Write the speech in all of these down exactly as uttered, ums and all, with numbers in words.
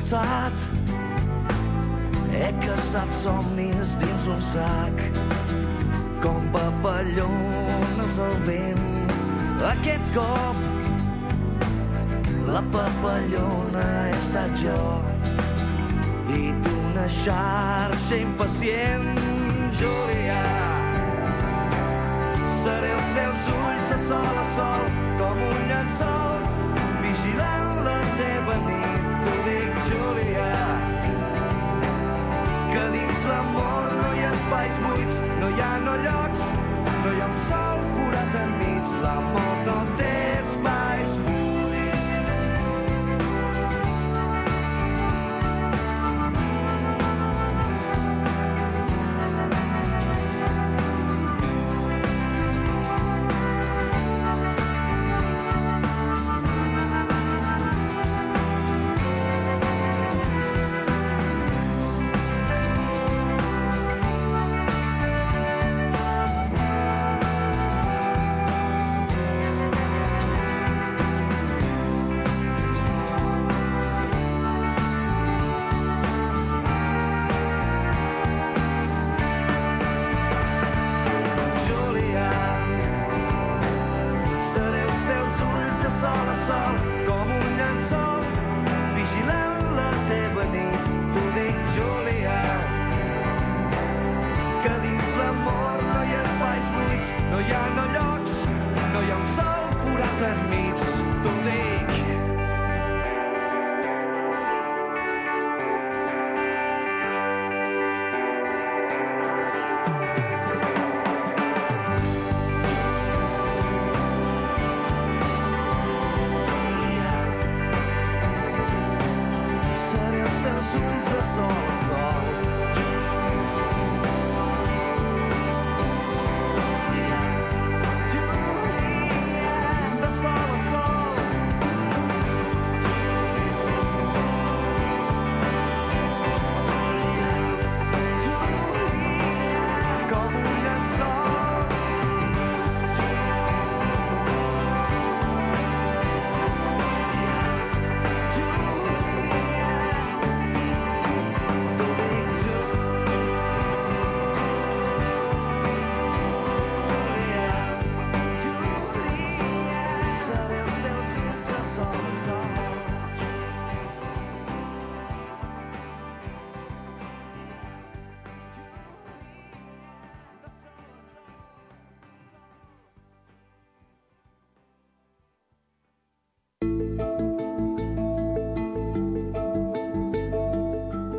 passat. He caçat somnis dins un sac, com papallones al vent. Aquest cop la papallona he estat jo i d'una xarxa impacient, Julià. Seré els teus ulls de sol a sol, com un llençol, vigilant la teva nit. T'ho dic, Julià, que dins l'amor no hi ha espais buits, no hi ha no llocs, no hi ha un sol forat enmig. L'amor no té espais buits.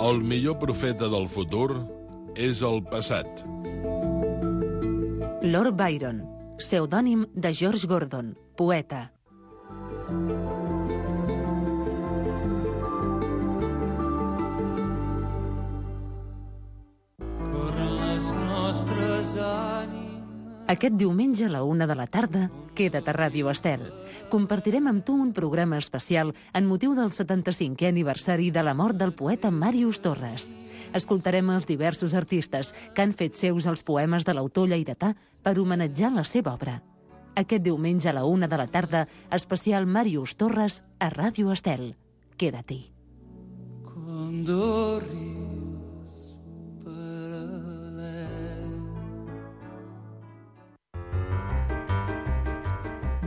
El millor profeta del futur és el passat. Lord Byron, pseudònim de George Gordon, poeta. Corren les nostres ànimes. Aquest diumenge a la una de la tarda, queda't a Ràdio Estel. Compartirem amb tu un programa especial en motiu del setanta-cinquè aniversari de la mort del poeta Màrius Torres. Escoltarem els diversos artistes que han fet seus els poemes de l'autor lleidatà per homenatjar la seva obra. Aquest diumenge a la una de la tarda, especial Màrius Torres a Ràdio Estel. Quédate. Cuando ríos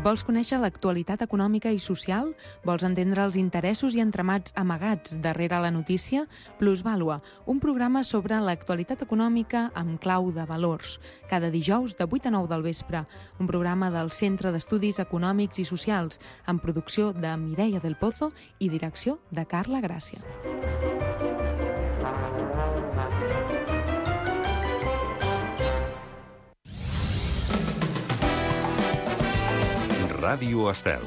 Vols conèixer l'actualitat econòmica i social? Vols entendre els interessos i entramats amagats darrere la notícia? Plusvàlua, un programa sobre l'actualitat econòmica amb clau de valors. Cada dijous de vuit a nou del vespre. Un programa del Centre d'Estudis Econòmics i Socials, amb producció de Mireia del Pozo i direcció de Carla Gràcia. Ràdio Estel.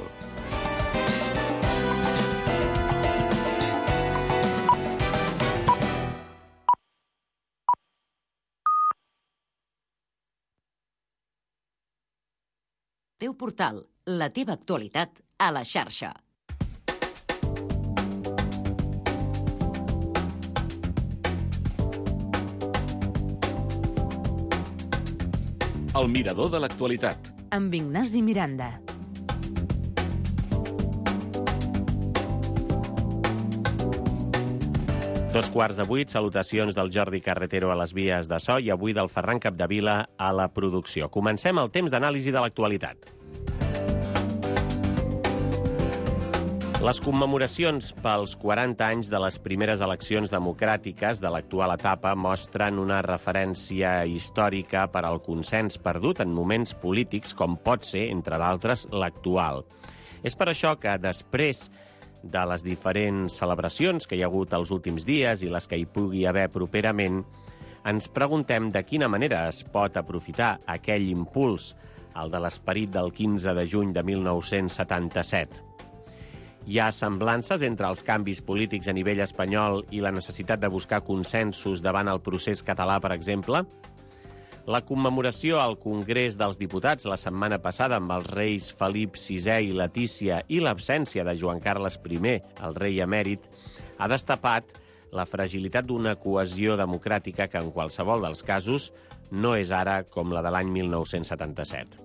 Teu portal, la teva actualitat a la xarxa. El mirador de l'actualitat. Amb Ignasi Miranda. Dos quarts de vuit, salutacions del Jordi Carretero a les vies de so i avui del Ferran Capdevila a la producció. Comencem el temps d'anàlisi de l'actualitat. Les commemoracions pels quaranta anys de les primeres eleccions democràtiques de l'actual etapa mostren una referència històrica per al consens perdut en moments polítics com pot ser, entre d'altres, l'actual. És per això que després de les diferents celebracions que hi ha hagut els últims dies i les que hi pugui haver properament, ens preguntem de quina manera es pot aprofitar aquell impuls, el de l'esperit del quinze de juny de mil nou-cents setanta-set. Hi ha semblances entre els canvis polítics a nivell espanyol i la necessitat de buscar consensos davant el procés català, per exemple? La commemoració al Congrés dels Diputats la setmana passada amb els reis Felip sisè i Letícia i l'absència de Joan Carles primer, el rei emèrit, ha destapat la fragilitat d'una cohesió democràtica que en qualsevol dels casos no és ara com la de l'any mil nou-cents setanta-set.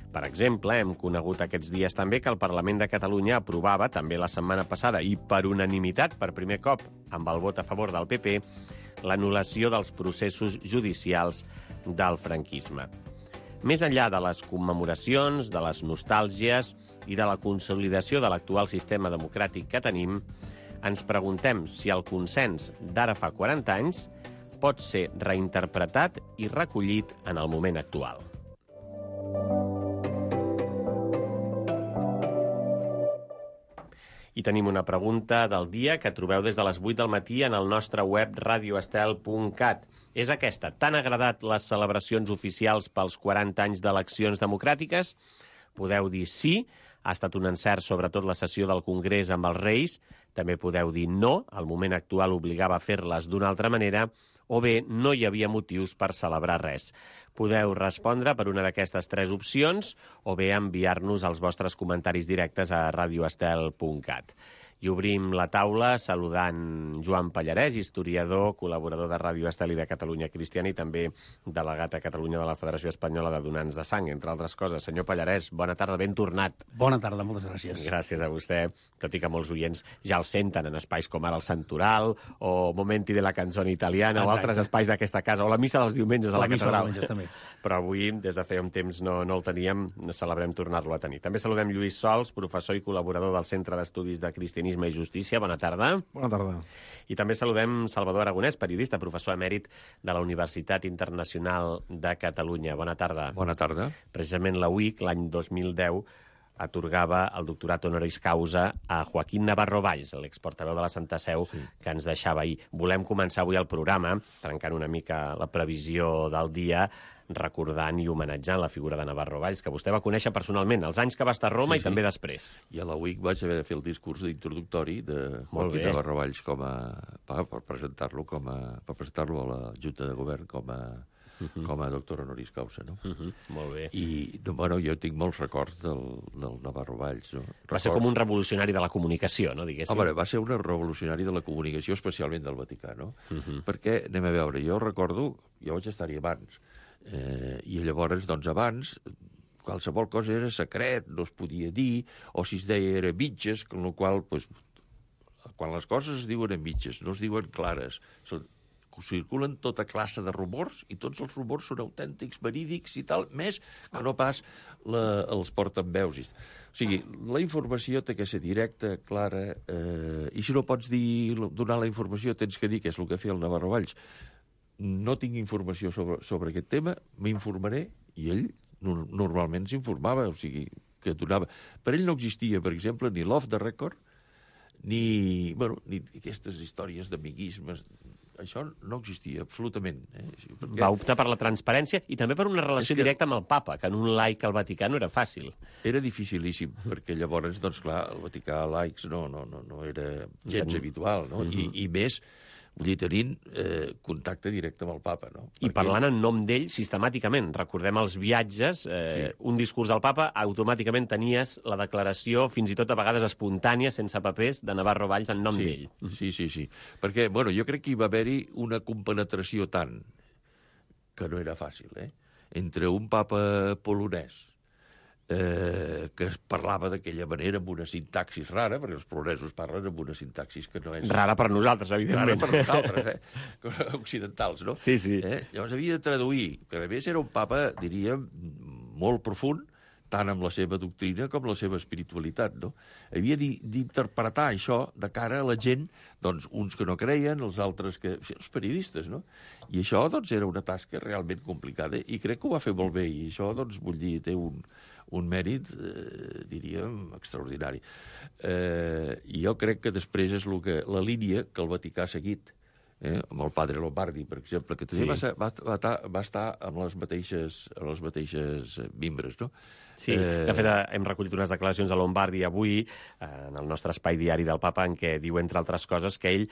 Per exemple, hem conegut aquests dies també que el Parlament de Catalunya aprovava, també la setmana passada, i per unanimitat, per primer cop, amb el vot a favor del P P, l'anul·lació dels processos judicials del franquisme. Més enllà de les commemoracions, de les nostàlgies i de la consolidació de l'actual sistema democràtic que tenim, ens preguntem si el consens d'ara fa quaranta anys pot ser reinterpretat i recollit en el moment actual. I tenim una pregunta del dia que trobeu des de les vuit del matí en el nostre web radio estel punt cat. És aquesta. T'han agradat les celebracions oficials pels quaranta anys d'eleccions democràtiques? Podeu dir sí, ha estat un encert sobretot la sessió del Congrés amb els Reis. També podeu dir no, el moment actual obligava a fer-les d'una altra manera, o bé no hi havia motius per celebrar res. Podeu respondre per una d'aquestes tres opcions o bé enviar-nos els vostres comentaris directes a radio estel punt cat. I obrim la taula saludant Joan Pallarès, historiador, col·laborador de Ràdio Estel i de Catalunya Cristiana i també delegat a Catalunya de la Federació Espanyola de Donants de Sang, entre altres coses. Senyor Pallarès, bona tarda, ben tornat. Bona tarda, moltes gràcies. Gràcies a vostè, tot i que molts oients ja el senten en espais com ara el Santoral o Momenti de la Canzone Italiana. Exacte. O altres espais d'aquesta casa, o la missa dels diumenges a la, la catedral. Missa dels diumenges, també. Però avui, des de feia un temps, no, no el teníem, celebrem tornar-lo a tenir. També saludem Lluís Sols, professor i col·laborador del Centre d'Estudis de Cristianisme i Justícia. Bona tarda. Bona tarda. I també saludem Salvador Aragonès, periodista, professor emèrit de la Universitat Internacional de Catalunya. Bona tarda. Bona tarda. Precisament la U I C, l'any dos mil deu, atorgava el doctorat honoris causa a Joaquín Navarro Valls, l'exportaveu de la Santa Seu, sí, que ens deixava ahir. Volem començar avui el programa, trencant una mica la previsió del dia, recordant i homenatjant la figura de Navarro Valls, que vostè va conèixer personalment, els anys que va estar a Roma, sí, sí, i també després. I a la U I C vaig haver de fer el discurs introductori de Joaquín Navarro Valls com a, per, per presentar-lo com a, per presentar-lo a la Junta de Govern com a, uh-huh, com a doctor honoris causa, no? Uh-huh, molt bé. I, bueno, jo tinc molts records del, del Navarro Valls, no? Va records... ser com un revolucionari de la comunicació, no, diguéssim? Home, va ser un revolucionari de la comunicació, especialment del Vaticà, no? Uh-huh. Perquè, anem a veure, jo recordo, jo vaig estar-hi abans, Eh, i llavors, doncs, abans, qualsevol cosa era secret, no es podia dir, o si es deia era mitges, amb la qual cosa, pues, quan les coses es diuen en mitges, no es diuen clares, són, circulen tota classe de rumors, i tots els rumors són autèntics, verídics i tal, més que no pas la, els portaveus. O sigui, la informació té que ser directa, clara, eh, i si no pots dir, donar la informació, tens que dir què és el que feia el Navarro Valls. No tinc informació sobre, sobre aquest tema, m'informaré, i ell no, normalment s'informava, o sigui, que donava... Per ell no existia, per exemple, ni l'off the record, ni, bueno, ni aquestes històries d'amiguismes. Això no existia, absolutament. Eh? Perquè... Va optar per la transparència i també per una relació que... directa amb el papa, que en un laic al Vaticà no era fàcil. Era dificilíssim, perquè llavors, doncs clar, el Vaticà laics no, no, no, no era gens mm. habitual, no? Mm -hmm. I, I més... Vull dir, tenint eh, contacte directe amb el papa, no? I Perquè... parlant en nom d'ell sistemàticament. Recordem els viatges, eh, sí, un discurs del papa, automàticament tenies la declaració, fins i tot a vegades espontània, sense papers, de Navarro Valls en nom sí, d'ell. Sí, sí, sí. Perquè, bueno, jo crec que hi va haver-hi una compenetració tant, que no era fàcil, eh? Entre un papa polonès, eh, que es parlava d'aquella manera amb una sintaxis rara, perquè els polonesos parlen amb una sintaxis que no és... Rara per nosaltres, evidentment. Rara per nosaltres, eh? Occidentals, no? Sí, sí. Eh? Llavors havia de traduir, que a més era un papa, diríem, molt profund, tant amb la seva doctrina com la seva espiritualitat, no? Havia d'interpretar això de cara a la gent, doncs, uns que no creien, els altres que... els periodistes, no? I això, doncs, era una tasca realment complicada, i crec que ho va fer molt bé, i això, doncs, vull dir, té un, un mèrit, eh, diríem, extraordinari. Eh, I jo crec que després és lo que, la línia que el Vaticà ha seguit, eh, amb el padre Lombardi, per exemple, que també sí. va, ser, va, va, va estar amb les mateixes, amb les mateixes mimbres, no? Sí, de fet, hem recollit unes declaracions de Lombardi avui, en el nostre espai diari del papa, en què diu, entre altres coses, que ell,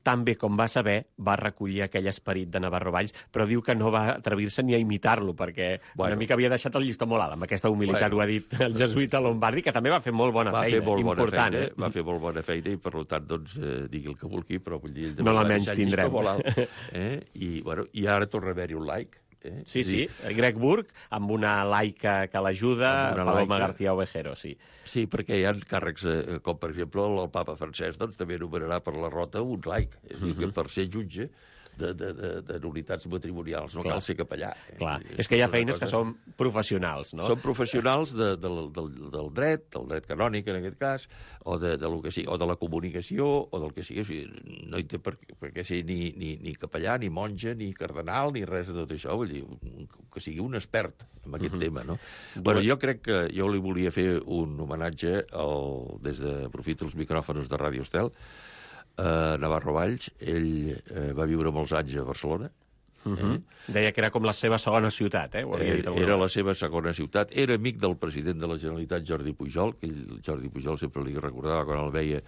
tan bé com va saber, va recollir aquell esperit de Navarro Valls, però diu que no va atrevir-se ni a imitar-lo, perquè bueno. una mica havia deixat el llistó molt alt. Amb aquesta humilitat bueno. ho ha dit el jesuïta Lombardi, que també va fer molt bona va feina, fer molt important. Bona feina, eh? Va fer molt bona feina, i per tant, doncs, eh, digui el que vulgui, però vull dir... No la menys tindrem. Molt alt, eh? I, bueno, I ara torna a haver-hi un like. Eh? Sí, sí, Greg Burke, amb una laica que l'ajuda, Paloma laica. García Ovejero, sí. Sí, perquè hi ha càrrecs, eh, com per exemple el papa francès, doncs també anomenarà per la rota un laic, és a dir, que per ser jutge de, de, de, de unitats matrimonials no Clar. cal ser capellà. Clar. És, és que hi ha feines cosa... que són professionals, no? Són professionals de, de, del, del dret, del dret canònic en aquest cas, o de, de, lo que sigui, o de la comunicació, o del que sigui. O sigui no hi té per, per què ser ni, ni, ni capellà, ni monja, ni cardenal, ni res de tot això. Vull dir, que sigui un expert en aquest uh -huh. tema, no? Bueno, jo crec que jo li volia fer un homenatge al, des de aprofito els micròfons de Ràdio Estel, Uh, Navarro Valls. Ell uh, va viure molts anys a Barcelona. Uh -huh. eh? Deia que era com la seva segona ciutat, eh? Ho havia dit era la seva segona ciutat. Era amic del president de la Generalitat, Jordi Pujol, que ell, Jordi Pujol sempre li recordava quan el veia,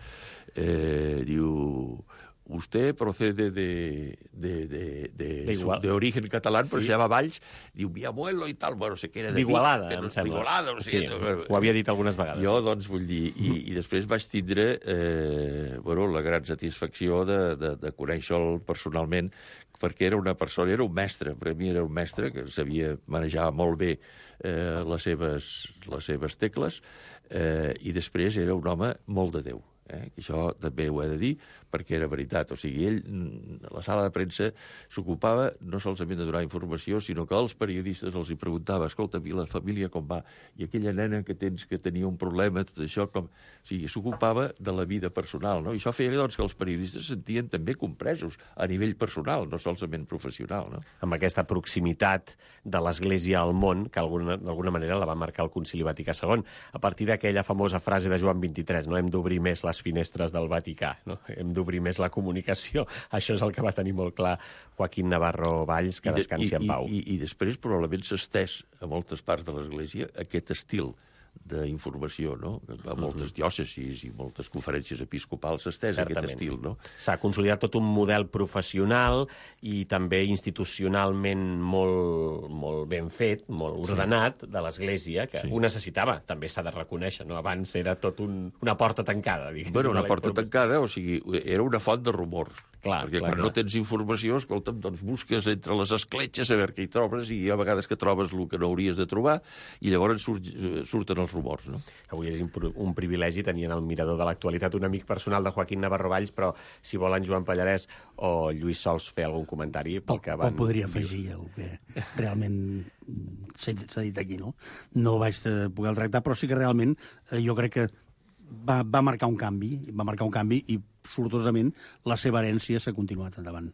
eh, diu... Usted procede de, de, de, de, de, su, de origen catalán, però sí. se llama Valls, diu, mi abuelo i tal, bueno, sé que era de d'Igualada, Vic, em sembla. D'Igualada, no sé. Sí, ho havia dit algunes vegades. Jo, doncs, vull dir, i, i després vaig tindre eh, bueno, la gran satisfacció de, de, de conèixer-lo personalment, perquè era una persona, era un mestre, per a mi era un mestre que sabia manejar molt bé eh, les, seves, les seves tecles, eh, i després era un home molt de Déu. Eh? Això també ho he de dir, perquè era veritat. O sigui, ell, a la sala de premsa, s'ocupava no solament de donar informació, sinó que els periodistes els hi preguntava, escolta, i la família com va? I aquella nena que tens que tenia un problema, tot això, com... O sigui, s'ocupava de la vida personal, no? I això feia, doncs, que els periodistes se sentien també compresos a nivell personal, no solament professional, no? Amb aquesta proximitat de l'Església al món, que d'alguna manera la va marcar el Concili Vaticà segon, a partir d'aquella famosa frase de Joan vint-i-tres, no? Hem d'obrir més les finestres del Vaticà, no? Hem d'obrir més la comunicació. Això és el que va tenir molt clar Joaquín Navarro Valls, que descansi en pau. I, i, i després probablement s'ha estès a moltes parts de l'Església aquest estil d'informació, no? A moltes diòcesis i moltes conferències episcopals s'ha estès aquest estil, no? S'ha consolidat tot un model professional i també institucionalment molt, molt ben fet, molt ordenat, de l'Església, que sí. ho necessitava, també s'ha de reconèixer, no? Abans era tot un, una porta tancada, diguéssim. Bueno, una porta tancada, o sigui, era una font de rumor. Clar, perquè clar, quan clar. no tens informació, escolta'm, doncs busques entre les escletxes a veure què hi trobes, i a vegades que trobes el que no hauries de trobar, i llavors surt, surten els rumors, no? Avui és un privilegi tenir en el mirador de l'actualitat un amic personal de Joaquín Navarro Valls, però si volen Joan Pallarès o Lluís Sols fer algun comentari pel que van... O podria afegir el que realment s'ha dit aquí, no? No vaig poder tractar, però sí que realment eh, jo crec que va, va marcar un canvi, va marcar un canvi i sortosament la seva herència s'ha continuat endavant.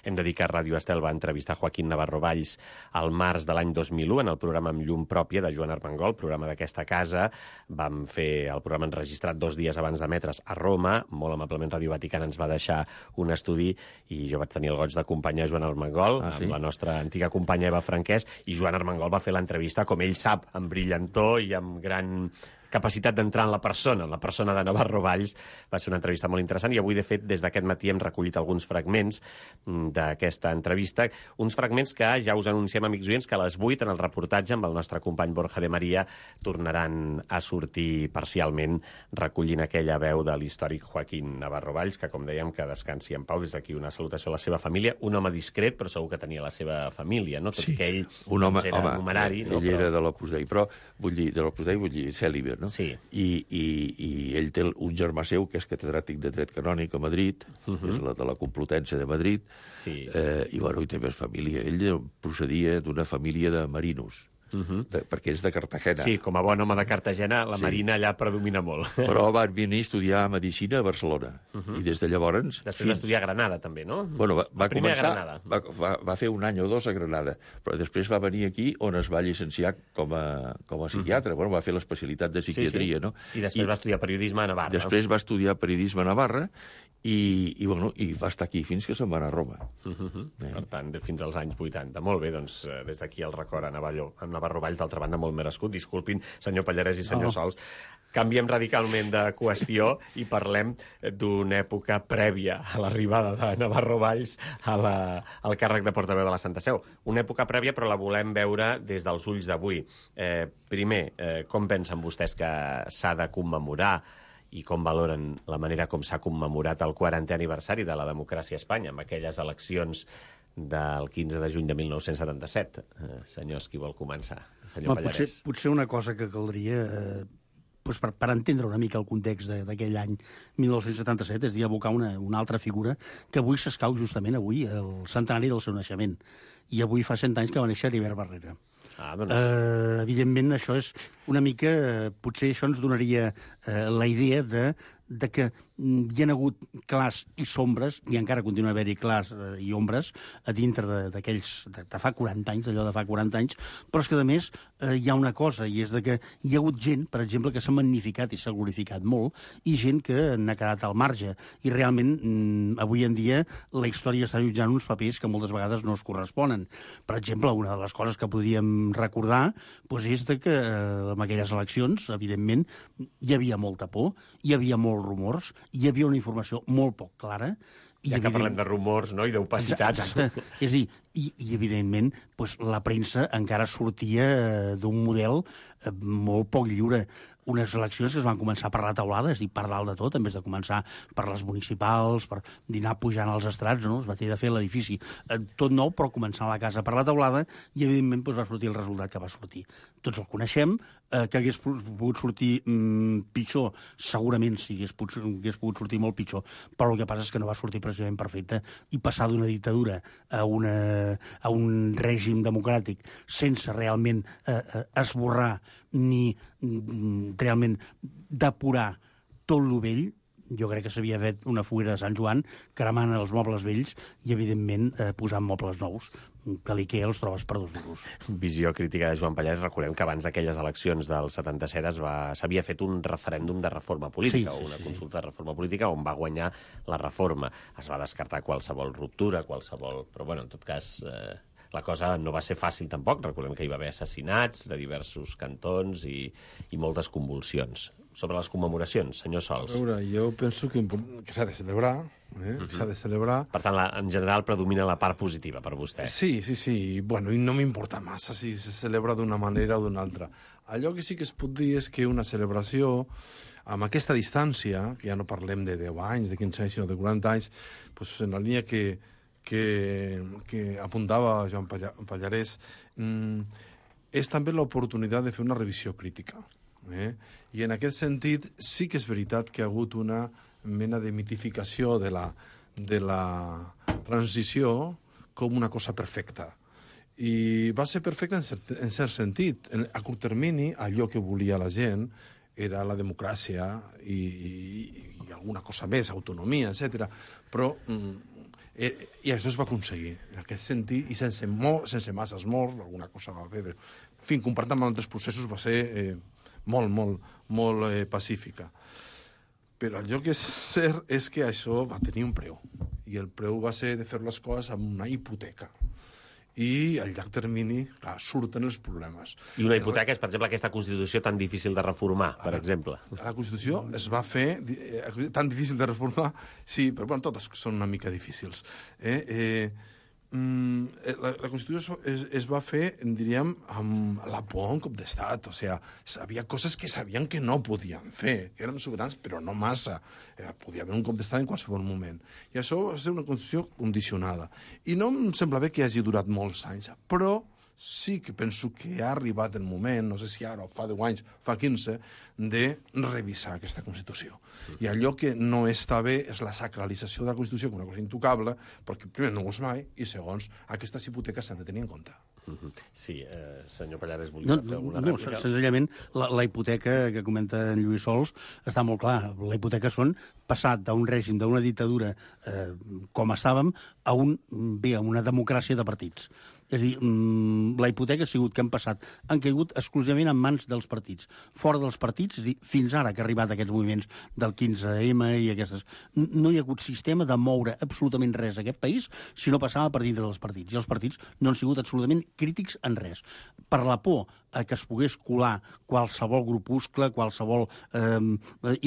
Hem de dir que Ràdio Estel va entrevistar Joaquín Navarro Valls al març de l'any dos mil u en el programa Amb llum pròpia de Joan Armengol, programa d'aquesta casa. Vam fer el programa enregistrat dos dies abans d'emetre's a Roma. Molt amablement Ràdio Vaticana ens va deixar un estudi i jo vaig tenir el goig d'acompanyar Joan Armengol, ah, sí? amb la nostra antiga companya Eva Franquès, i Joan Armengol va fer l'entrevista, com ell sap, amb brillantor i amb gran capacitat d'entrar en la persona, en la persona de Navarro Valls. Va ser una entrevista molt interessant i avui, de fet, des d'aquest matí hem recollit alguns fragments d'aquesta entrevista, uns fragments que ja us anunciem, amics oients, que a les vuit en el reportatge amb el nostre company Borja de Maria tornaran a sortir parcialment recollint aquella veu de l'històric Joaquín Navarro Valls, que, com dèiem, que descansi en pau. Des d'aquí una salutació a la seva família. Un home discret, però segur que tenia la seva família, no? Tot sí, que ell un home, era home, numerari. Ell no, però... era de l'Opus Dei, però vull dir, de l'Opus Dei vull dir cèlibe, no? Sí. I, i, I ell té un germà seu que és catedràtic de dret canònic a Madrid, uh -huh. és la de la Complutense de Madrid, sí. eh, i, bueno, i té més família. Ell procedia d'una família de marinos, Uh -huh. de, perquè és de Cartagena. Sí, com a bon home de Cartagena, la sí. marina allà predomina molt. Però va venir a estudiar Medicina a Barcelona. Uh -huh. I des de llavors... Després fins... va estudiar a Granada, també, no? Bueno, va, va Primer començar... a Granada. Va, va, va fer un any o dos a Granada, però després va venir aquí on es va llicenciar com a, com a psiquiatre. Uh -huh. Bueno, va fer l'especialitat de psiquiatria, sí, sí. no? I després I, va estudiar periodisme a Navarra. Després va estudiar periodisme a Navarra i, i, bueno, i va estar aquí fins que se'n va anar a Roma. Uh -huh. eh. Per tant, fins als anys vuitanta. Molt bé, doncs, des d'aquí el record a Navarro, a Navarro Valls, d'altra banda, molt merescut. Disculpin, senyor Pallarès i senyor oh. Sols. Canviem radicalment de qüestió i parlem d'una època prèvia a l'arribada de Navarro Valls a la, al càrrec de portaveu de la Santa Seu. Una època prèvia, però la volem veure des dels ulls d'avui. Eh, primer, eh, com pensen vostès que s'ha de commemorar i com valoren la manera com s'ha commemorat el quarantè aniversari de la democràcia a Espanya amb aquelles eleccions del quinze de juny de mil nou-cents setanta-set. Eh, senyors, qui vol començar? Senyor Pallarès. Potser, potser una cosa que caldria, eh, doncs per, per entendre una mica el context d'aquell any mil nou-cents setanta-set, és dir, abocar una, una altra figura que avui s'escau justament avui, el centenari del seu naixement. I avui fa cent anys que va néixer Heribert Barrera. Ah, doncs... eh, evidentment, això és una mica... Eh, potser això ens donaria eh, la idea de, de que hi ha hagut clars i sombres, i encara continua haver-hi clars eh, i ombres a dintre d'aquells... De, de fa quaranta anys, allò de fa quaranta anys, però és que, a més, eh, hi ha una cosa, i és de que hi ha hagut gent, per exemple, que s'ha magnificat i s'ha glorificat molt, i gent que n'ha quedat al marge. I realment, mm, avui en dia, la història està jutjant uns papers que moltes vegades no es corresponen. Per exemple, una de les coses que podríem recordar doncs és de que eh, en aquelles eleccions, evidentment, hi havia molta por, hi havia molts rumors, hi havia una informació molt poc clara. I ja que evident... parlem de rumors, no?, i d'opacitats. Exacte. És a dir, i, i evidentment, doncs, la premsa encara sortia d'un model eh, molt poc lliure. Unes eleccions que es van començar per la teulada, és a dir, per dalt de tot, en vez de començar per les municipals, per dinar pujant als estrats, no? Es va tenir de fer l'edifici eh, tot nou, però començar la casa per la teulada, i evidentment doncs, va sortir el resultat que va sortir. Tots el coneixem, eh, que hagués pogut sortir mm, pitjor, segurament sí, hagués pogut, hagués pogut sortir molt pitjor, però el que passa és que no va sortir precisament perfecte, i passar d'una dictadura a, una, a un règim democràtic sense realment eh, eh, esborrar ni mm, realment depurar tot lo vell, jo crec que s'havia fet una foguera de Sant Joan cremant els mobles vells i, evidentment, eh, posant mobles nous, que l'Ikea els trobes per dos duros. Visió crítica de Joan Pallarès. Recordem que abans d'aquelles eleccions del setanta-set s'havia fet un referèndum de reforma política, sí, sí, o una sí, consulta de reforma política on va guanyar la reforma. Es va descartar qualsevol ruptura, qualsevol... Però, bueno, en tot cas... Eh... La cosa no va ser fàcil tampoc. Recordem que hi va haver assassinats de diversos cantons i, i moltes convulsions. Sobre les commemoracions, senyor Sols. A veure, jo penso que, que s'ha de celebrar, eh? Uh-huh. S'ha de celebrar. Per tant, la, en general predomina la part positiva per vostè. Sí, sí, sí. Bueno, i no m'importa massa si se celebra d'una manera o d'una altra. Allò que sí que es pot dir és que una celebració amb aquesta distància, que ja no parlem de deu anys, de quinze anys, sinó de quaranta anys, doncs en la línia que que, que apuntava Joan Pallarès, mm, és també l'oportunitat de fer una revisió crítica. Eh? I en aquest sentit sí que és veritat que ha hagut una mena de mitificació de la, de la transició com una cosa perfecta. I va ser perfecta en cert, en cert sentit. En, a curt termini, allò que volia la gent era la democràcia i, i, i alguna cosa més, autonomia, etcètera. Però... Mm, Eh, i això es va aconseguir, en aquest sentit, i sense, mor, sense masses morts, alguna cosa va haver. En fi, comparat amb altres processos, va ser eh, molt, molt, molt eh, pacífica. Però allò que és cert és que això va tenir un preu, i el preu va ser de fer les coses amb una hipoteca. i al llarg termini, clar, surten els problemes. I una hipoteca és, per exemple, aquesta Constitució tan difícil de reformar, per exemple. La Constitució es va fer eh, tan difícil de reformar, sí, però bueno, totes són una mica difícils. Eh? Eh, La, la Constitució es, es va fer, diríem, amb la por un cop d'estat. O sigui, havia coses que sabien que no podien fer, que eren sobirans, però no massa. Eh, podia haver un cop d'estat en qualsevol moment. I això va ser una Constitució condicionada. I no em sembla bé que hagi durat molts anys, però sí que penso que ha arribat el moment, no sé si ara o fa deu anys, fa quinze, de revisar aquesta Constitució. I allò que no està bé és la sacralització de la Constitució com una cosa intocable, perquè primer no ho és mai, i segons, aquestes hipoteques s'han de tenir en compte. Sí, eh, senyor Pallares, volia no, fer alguna no, rèplica? Senzillament, la, la hipoteca que comenta en Lluís Sols està molt clar. La hipoteca són passat d'un règim, d'una dictadura eh, com estàvem, a un, bé, a una democràcia de partits. És a dir, la hipoteca ha sigut que han passat, han caigut exclusivament en mans dels partits. Fora dels partits, és a dir, fins ara que ha arribat aquests moviments del quinze ema i aquestes, no hi ha hagut sistema de moure absolutament res a aquest país si no passava per dintre dels partits. I els partits no han sigut absolutament crítics en res. Per la por a que es pogués colar qualsevol grupuscle, qualsevol eh,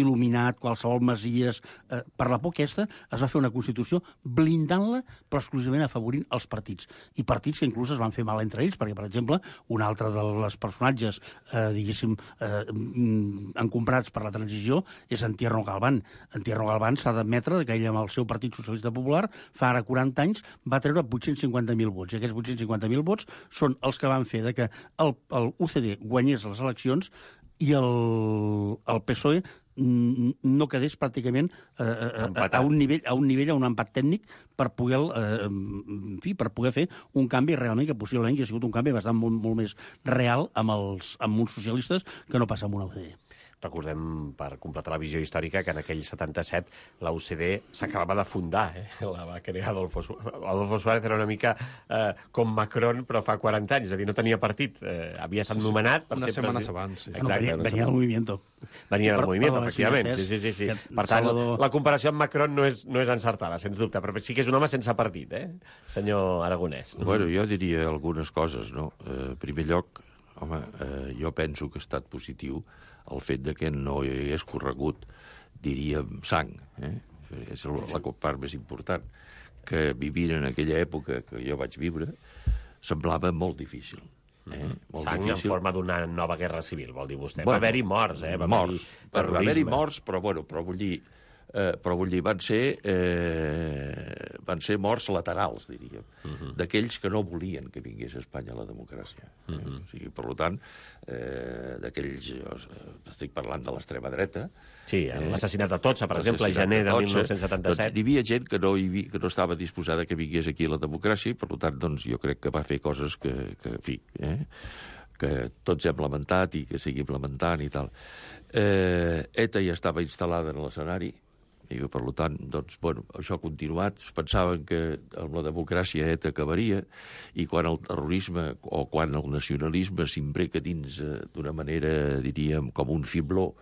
il·luminat, qualsevol masies, eh, per la por aquesta es va fer una Constitució blindant-la, però exclusivament afavorint els partits. I partits que inclús es van fer mal entre ells, perquè, per exemple, un altre dels personatges, eh, diguéssim, eh, encombrats per la transició és en Tierno Galván. En Tierno Galván s'ha d'admetre que ell, amb el seu Partit Socialista Popular, fa ara quaranta anys, va treure vuit-cents cinquanta mil vots. I aquests vuit-cents cinquanta mil vots són els que van fer de que el, el U C D guanyés les eleccions i el, el P S O E no quedés pràcticament eh, a, a, un nivell, a un nivell, a un empat tècnic per poder, eh, en fi, per poder fer un canvi realment que possiblement que ha sigut un canvi bastant molt, molt més real amb, els, amb uns socialistes que no passa amb una U C D. Recordem, per completar la visió històrica, que en aquell setanta-set la U C D s'acabava de fundar, eh? La va crear Adolfo Suárez. Adolfo Suárez era una mica eh, com Macron, però fa quaranta anys, és a dir, no tenia partit. Eh, havia estat nomenat per unes ser setmanes president. abans, sí. Exacte, no, venia, venia del movimiento. Venia del Per- movimiento, per la efectivament. Naciones, Sí, sí, sí, sí. que Per tant, Salvador- la comparació amb Macron no és, no és encertada, sens dubte, però sí que és un home sense partit, eh? Senyor Aragonès. Bueno, jo diria algunes coses, no? Eh, en primer lloc, home, eh, jo penso que ha estat positiu el fet de que no hi hagués corregut, diríem, sang. Eh? És la part més important. Que vivint en aquella època que jo vaig viure, semblava molt difícil. Eh? Molt Sang difícil. en forma d'una nova guerra civil, vol dir vostè. Bueno, va haver-hi morts, eh? Va morts. haver-hi Va haver-hi terrorisme. morts, però, bueno, però vull dir, eh, però vull dir, van ser, eh, van ser morts laterals, diríem, uh -huh. d'aquells que no volien que vingués a Espanya la democràcia. Eh? Uh -huh. O sigui, per tant, eh, d'aquells, eh, estic parlant de l'extrema dreta. Sí, eh, l'assassinat de Totxa, per exemple, a gener de mil nou-cents setanta-set. Doncs hi havia gent que no, hi havia, que no estava disposada que vingués aquí la democràcia, i per tant, doncs, jo crec que va fer coses que, que en fi, eh, que tots hem lamentat i que seguim lamentant i tal. Eh, ETA ja estava instal·lada en l'escenari, i per tant, doncs, bueno, això ha continuat. Es pensaven que amb la democràcia ETA acabaria, i quan el terrorisme o quan el nacionalisme s'imbrica dins eh, d'una manera, diríem, com un fibló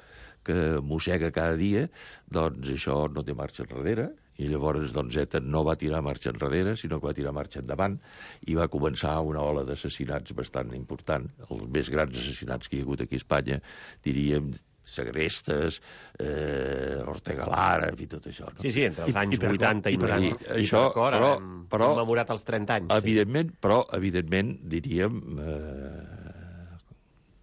que mossega cada dia, doncs això no té marxa enrere, i llavors doncs, ETA no va tirar marxa enrere, sinó que va tirar marxa endavant, i va començar una ola d'assassinats bastant important, els més grans assassinats que hi ha hagut aquí a Espanya, diríem, segrestes, eh, Ortega Lara, i tot això. No? Sí, sí, entre els I- anys i per vuitanta i i per noranta. I això, però- hem però- commemorat els trenta anys. Evidentment, sí. Però, evidentment, diríem... Eh,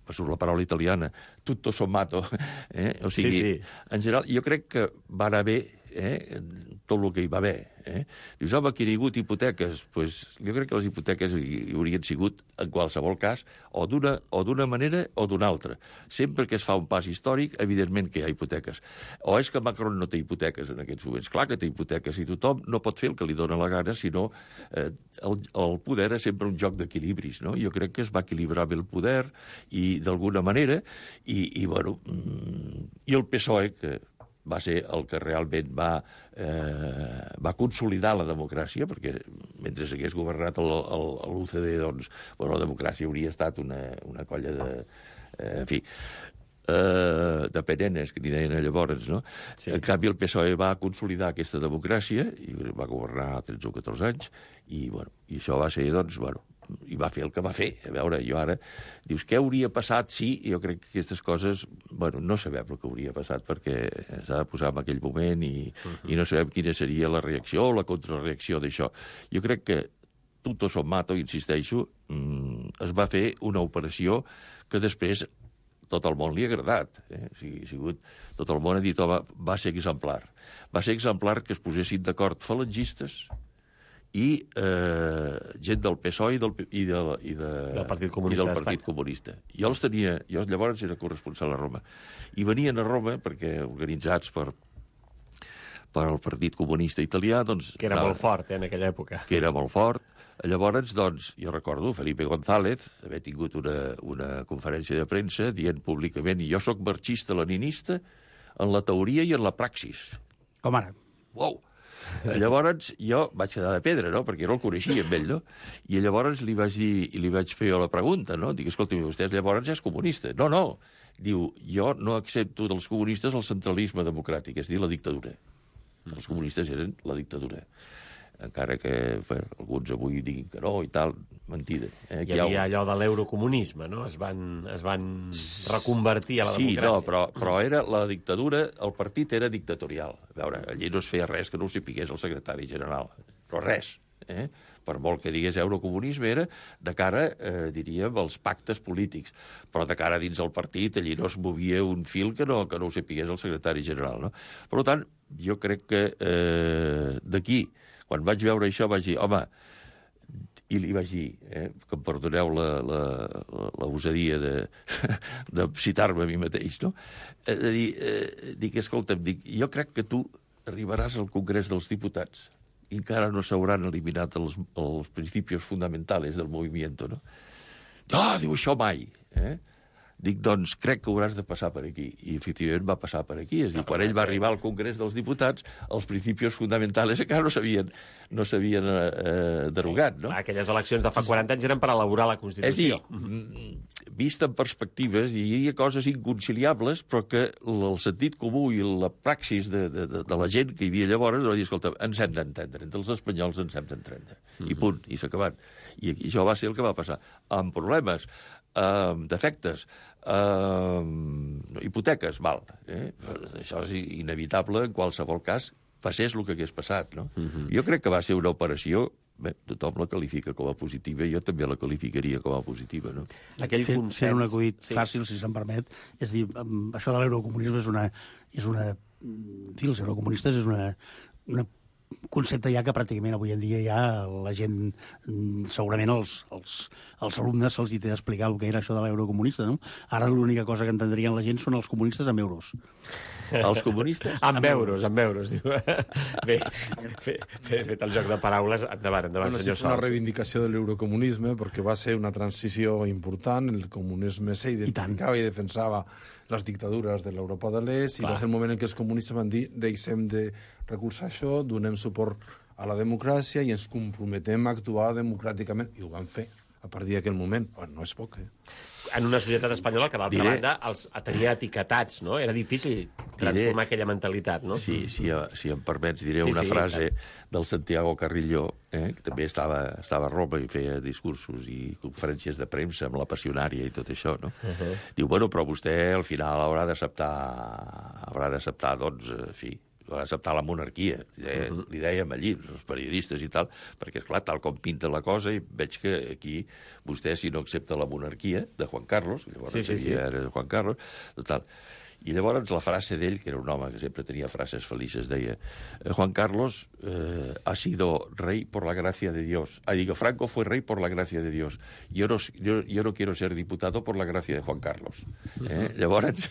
passo la paraula italiana, tutto sommato. Eh? O sigui, Sí, sí. en general, jo crec que va anar bé eh? tot el que hi va haver. Eh? Dius, home, que hi ha hagut hipoteques. Pues, jo crec que les hipoteques hi, hi haurien sigut, en qualsevol cas, o d'una o d'una manera o d'una altra. Sempre que es fa un pas històric, evidentment que hi ha hipoteques. O és que Macron no té hipoteques en aquests moments. Clar que té hipoteques, i tothom no pot fer el que li dóna la gana, sinó eh, el, el poder és sempre un joc d'equilibris. No? Jo crec que es va equilibrar bé el poder, i d'alguna manera, i, i bueno, mm, i el P S O E, que va ser el que realment va, eh, va consolidar la democràcia, perquè mentre s'hagués governat l'U C D, doncs, bueno, la democràcia hauria estat una, una colla de... Eh, en fi, eh, de perennes, que n'hi deien llavors, no? Sí. En canvi, el P S O E va consolidar aquesta democràcia i va governar tretze o catorze anys, i, bueno, i això va ser, doncs, bueno, i va fer el que va fer. A veure, jo ara... Dius, què hauria passat si... Jo crec que aquestes coses... Bueno, no sabem el que hauria passat perquè s'ha de posar en aquell moment i, uh-huh. i no sabem quina seria la reacció o la contrareacció d'això. Jo crec que tutto sommato, insisteixo, es va fer una operació que després tot el món li ha agradat. Eh? O sigui, ha sigut... Tot el món ha dit, home, va ser exemplar. Va ser exemplar que es posessin d'acord falangistes i eh, gent del P S O E i del, i de, i de, del Partit Comunista. I del Partit Comunista. Jo els tenia... Jo llavors era corresponsal a Roma. I venien a Roma perquè, organitzats per, per el Partit Comunista Italià, doncs... Que era anava, molt fort, eh, en aquella època. Que era molt fort. Llavors, doncs, jo recordo Felipe González haver tingut una, una conferència de premsa dient públicament jo sóc marxista-leninista en la teoria i en la praxis. Com ara. Uau! Llavors jo vaig quedar de pedra, no?, perquè no el coneixia amb ell, no? I llavors li vaig dir, i li vaig fer la pregunta, no? Dic, escolta, vostè llavors ja és comunista. No, no. Diu, jo no accepto dels comunistes el centralisme democràtic, és a dir, la dictadura. Els comunistes eren la dictadura. Encara que bé, alguns avui diguin que no i tal, mentida. Eh? Hi havia allò de l'eurocomunisme, no? Es van, es van reconvertir a la sí, democràcia. Sí, no, però, però era la dictadura, el partit era dictatorial. A veure, allí no es feia res que no ho sapigués el secretari general, però res. Eh? Per molt que digués eurocomunisme, era de cara, eh, diríem, als pactes polítics. Però de cara dins el partit, allí no es movia un fil que no, que no ho sapigués el secretari general. No? Per tant, jo crec que eh, d'aquí, quan vaig veure això, vaig dir, home, i li vaig dir, eh, que em perdoneu la, la, la, la usadia de, de citar-me a mi mateix, no? Eh, de dir, eh, dic, escolta'm, dic, jo crec que tu arribaràs al Congrés dels Diputats i encara no s'hauran eliminat els, els principis fonamentals del moviment, no? No, diu, això mai, eh? Dic, doncs, crec que hauràs de passar per aquí. I, efectivament, va passar per aquí. És a dir, quan ell va arribar al Congrés dels Diputats, els principis fonamentals encara no s'havien no s'havien eh, derogat, no? Aquelles eleccions de fa quaranta anys eren per elaborar la Constitució. És a dir, vist en perspectives, hi havia coses inconciliables, però que el sentit comú i la praxis de, de, de, de la gent que hi havia llavors va dir, escolta, ens hem d'entendre, entre els espanyols ens hem d'entendre. Mm-hmm. I punt, i s'ha acabat. I, I això va ser el que va passar. Amb problemes, amb defectes, amb hipoteques, val. Eh? Això és inevitable en qualsevol cas, passés el que hagués passat, no? Mm-hmm. Jo crec que va ser una operació, bé, tothom la qualifica com a positiva, jo també la qualificaria com a positiva, no? Aquell fent, consens... fent un acudit sí. fàcil, si se'm permet, és dir, això de l'eurocomunisme és una... És una en fi, els eurocomunistes és una, una concepte ja que pràcticament avui en dia ja la gent, segurament els, els, els alumnes se'ls hi té d'explicar el que era això de l'eurocomunista, no? Ara l'única cosa que entendrien la gent són els comunistes amb euros. Els comunistes? Amb, amb euros, euros, amb euros, diu. Bé, fet, fet el joc de paraules, endavant, endavant, bueno, senyor Sols. És una reivindicació de l'eurocomunisme perquè va ser una transició important, el comunisme s'identificava i, i defensava les dictadures de l'Europa de l'Est, i va ser el moment en què els comunistes van dir deixem de recolzar això, donem suport a la democràcia i ens comprometem a actuar democràticament, i ho van fer a partir d'aquell moment. Bueno, no és poc, eh? En una societat espanyola que, d'altra diré... banda, els tenia etiquetats, no? Era difícil transformar diré... aquella mentalitat, no? Sí, sí, si em permets, diré sí, una sí, frase clar. del Santiago Carrillo, eh, que també estava, estava a Roma i feia discursos i conferències de premsa amb la passionària i tot això, no? Uh -huh. Diu, bueno, però vostè al final haurà d'acceptar, haurà d'acceptar, doncs, en fi, acceptar la monarquia, eh? uh -huh. li dèiem allí, els periodistes i tal, perquè, esclar, tal com pinta la cosa, i veig que aquí vostè, si no accepta la monarquia de Juan Carlos, que llavors sí, sí, sí. era de Juan Carlos, total. I llavors la frase d'ell, que era un home que sempre tenia frases felices, deia, Juan Carlos eh, ha sido rey por la gracia de Dios. Ah, digo, Franco fue rey por la gracia de Dios. Yo no, yo, yo no quiero ser diputado por la gracia de Juan Carlos. Eh? Llavors,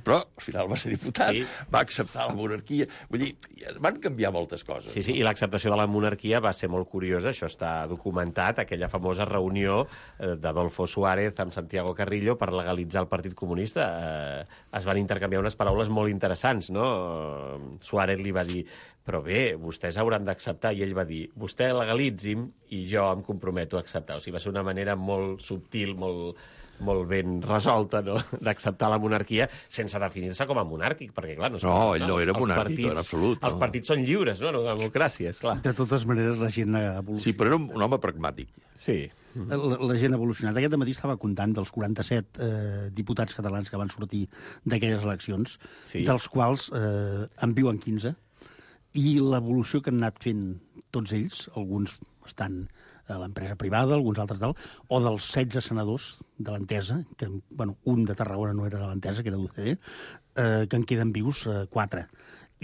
però al final va ser diputat, sí. va acceptar la monarquia. Vull dir, van canviar moltes coses. Sí, sí, i l'acceptació de la monarquia va ser molt curiosa, això està documentat, aquella famosa reunió eh, d'Adolfo Suárez amb Santiago Carrillo per legalitzar el Partit Comunista. Eh, es van intercanviar unes paraules molt interessants, no? Suárez li va dir, però bé, vostès hauran d'acceptar, i ell va dir, vostè legalitzi'm i jo em comprometo a acceptar. O sigui, va ser una manera molt subtil, molt, molt ben resolta, no?, d'acceptar la monarquia sense definir-se com a monàrquic, perquè, clar, no... No, ell no era monàrquic, en absolut. Els partits són lliures, no?, no democràcia, esclar. De totes maneres, la gent ha evolucionat. Sí, però era un, un home pragmàtic. Sí. La, la gent ha evolucionat. Aquest matí estava comptant dels quaranta-set eh, diputats catalans que van sortir d'aquelles eleccions, Sí. dels quals eh, en viuen quinze, i l'evolució que han anat fent tots ells, alguns estan a l'empresa privada, alguns altres tal, o dels setze senadors de l'Entesa, que, bueno, un de Tarragona no era de l'Entesa, que era d'U C D, eh, que en queden vius eh, quatre.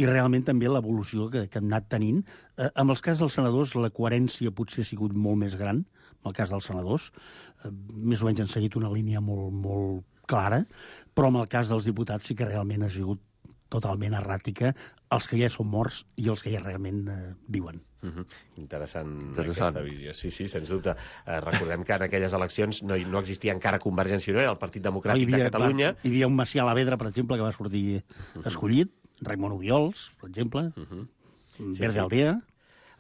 I realment també l'evolució que, que han anat tenint. Eh, amb els cas dels senadors, la coherència potser ha sigut molt més gran, en el cas dels senadors. Eh, més o menys han seguit una línia molt, molt clara, però en el cas dels diputats sí que realment ha sigut totalment erràtica, els que ja són morts i els que ja realment eh, viuen. Uh-huh. Interessant, Interessant aquesta visió. Sí, sí, sens dubte. Eh, recordem que en aquelles eleccions no, no existia encara Convergència i Unió, era el Partit Democràtic havia, de Catalunya. Va, hi havia un Macià Alavedra, per exemple, que va sortir uh-huh. escollit, Raimon Obiols, per exemple, uh-huh. Verde sí. Aldea...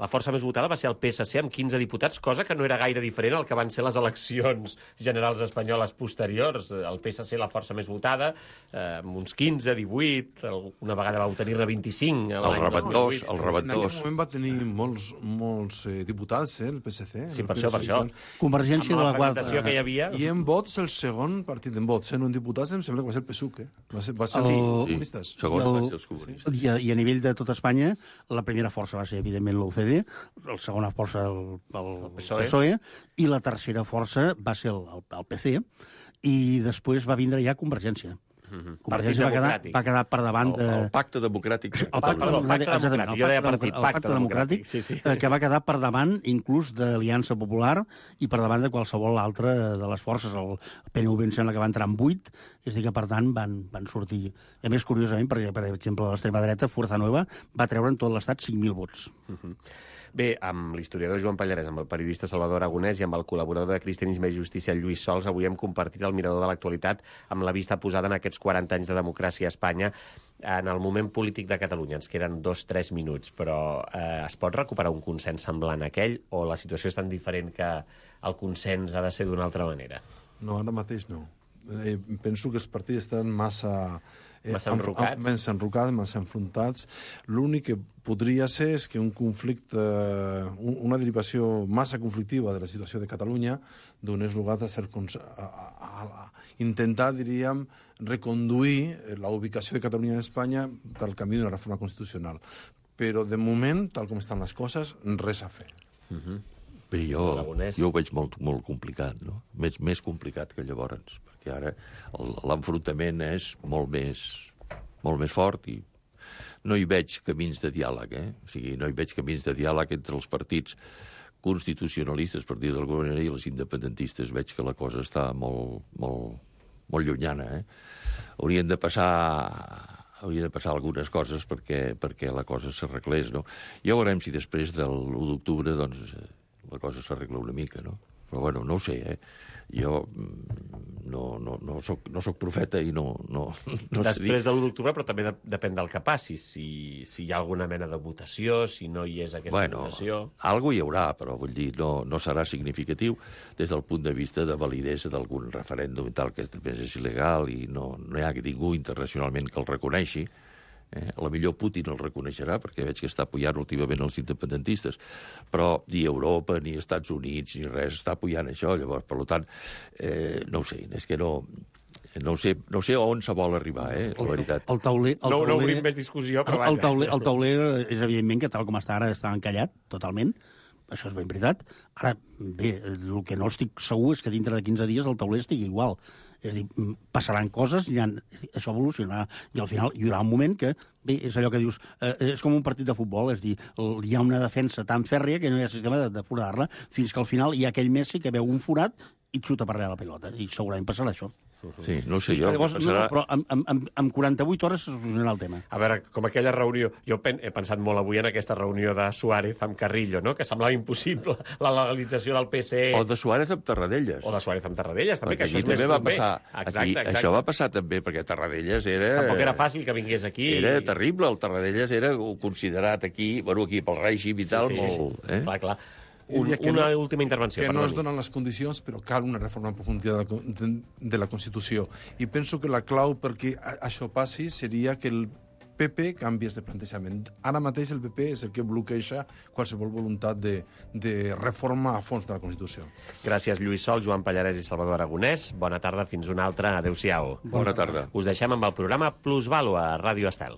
La força més votada va ser el P S C amb quinze diputats, cosa que no era gaire diferent al que van ser les eleccions generals espanyoles posteriors. El P S C, la força més votada, eh, amb uns quinze, divuit, una vegada va obtenir-ne vint-i-cinc. El rebentós, el En rebentós. aquell moment va tenir molts, molts eh, diputats, eh, el P S C. Sí, per el això, per això. Convergència Amb de la la qual... fragmentació que hi havia... I en vots, el segon partit en vots, en un diputats, em sembla que va ser el P S U C, eh? Va ser, va ser El- els Sí, comunistes. segons I el- van ser els comunistes. I a, I a nivell de tot Espanya, la primera força va ser, evidentment, l'U C D, la segona força el, el, el P S O E. P S O E, i la tercera força va ser el, el, el P C, i després va vindre ja Convergència. Mhm. Convergència va quedar, Democràtic. va quedar per davant El, de... el pacte democràtic. El pacte- perdó, pacte exactament, democràtic. el Jo deia pacte partit, democràtic, el pacte pacte democràtic, democràtic, sí, sí. eh, que va quedar per davant inclús de l'Aliança Popular i per davant de qualsevol altra de les forces. El P N V em sembla que va entrar en vuit, és a dir que, per tant, van, van sortir... A més, curiosament, perquè, per exemple, l'extrema dreta, Fuerza Nueva, va treure en tot l'estat cinc mil vots. Bé, amb l'historiador Joan Pallarès, amb el periodista Salvador Aragonès i amb el col·laborador de Cristianisme i Justícia Lluís Sols, avui hem compartit el mirador de l'actualitat amb la vista posada en aquests quaranta anys de democràcia a Espanya. En el moment polític de Catalunya ens queden dos o tres minuts, però eh, es pot recuperar un consens semblant a aquell o la situació és tan diferent que el consens ha de ser d'una altra manera? No, ara mateix no. Eh, penso que els partits estan massa... Eh, Massa enrocats. Amb, massa enrocats, massa enfrontats. L'únic que podria ser és que un conflicte, un, una derivació massa conflictiva de la situació de Catalunya donés lugar a, ser, a, a, a intentar, diríem, reconduir la ubicació de Catalunya en Espanya pel camí d'una reforma constitucional. Però, de moment, tal com estan les coses, res a fer. Uh-huh. Bé, jo, Aragonès. jo ho veig molt, molt complicat, no? Més, més complicat que llavors, perquè ara el- l'enfrontament és molt més, molt més fort i no hi veig camins de diàleg, eh? O sigui, no hi veig camins de diàleg entre els partits constitucionalistes, per dir d'alguna manera, i els independentistes. Veig que la cosa està molt, molt, molt llunyana, eh? Haurien de passar hauria de passar algunes coses perquè, perquè la cosa s'arreglés, no? Ja veurem si després de l'u d'octubre, doncs, eh, la cosa s'arregla una mica, no? Però, bueno, no ho sé, eh? Jo mm, no, no, no, soc, no soc profeta i no, no, no sé dir. Després de l'u d'octubre, però també de, depèn del que passi, si, si hi ha alguna mena de votació, si no hi és aquesta Bueno, votació... algo hi haurà, però vull dir, no, no serà significatiu des del punt de vista de validesa d'algun referèndum i tal, que també és il·legal i no, no hi ha ningú internacionalment que el reconeixi. Eh? A la millor Putin el reconeixerà, perquè veig que està apoyant últimament els independentistes, però ni Europa, ni Estats Units, ni res està apoyant això. Llavors, per tant, eh, no ho sé, és que no... No sé, no sé on se vol arribar, eh, la veritat. El tauler... El No, tauler, no obrim més discussió, però el, el, vaja. tauler, el tauler és evidentment que tal com està ara està encallat, totalment. Això és ben veritat. Ara, bé, el que no estic segur és que dintre de quinze dies el tauler estigui igual. És a dir, passaran coses, i això evolucionarà, i al final hi haurà un moment que, bé, és allò que dius, eh, és com un partit de futbol, és a dir, hi ha una defensa tan fèrria que no hi ha sistema de, de forar-la, fins que al final hi ha aquell Messi que veu un forat i et xuta per allà la pilota, i segurament passarà això. Sí, no ho sé jo. Llavors, Passarà... no, però amb, amb, amb, amb quaranta-vuit hores se solucionarà el tema. A veure, com aquella reunió... Jo pen, he pensat molt avui en aquesta reunió de Suárez amb Carrillo, no? Que semblava impossible la legalització del P S E. O de Suárez amb Tarradellas. O de Suárez amb Tarradellas, també, perquè que això és també més va proper. passar. Exacte, Aquí, exacte. això va passar també, perquè Tarradellas era... Tampoc era fàcil que vingués aquí. Era terrible, el Tarradellas era considerat aquí, bueno, aquí pel règim i tal, sí, sí, molt... sí. Eh? Clar, clar. Un, que una no, última intervenció, que perdoni. no es donen les condicions, però cal una reforma en profunditat de la, de, de la Constitució. I penso que la clau perquè això passi seria que el P P canviés de plantejament. Ara mateix el P P és el que bloqueja qualsevol voluntat de, de reforma a fons de la Constitució. Gràcies, Lluís Sol, Joan Pallarès i Salvador Aragonès. Bona tarda, fins una altra. Adéu-siau. Bona tarda. Us deixem amb el programa Plusvàlua a Ràdio Estel.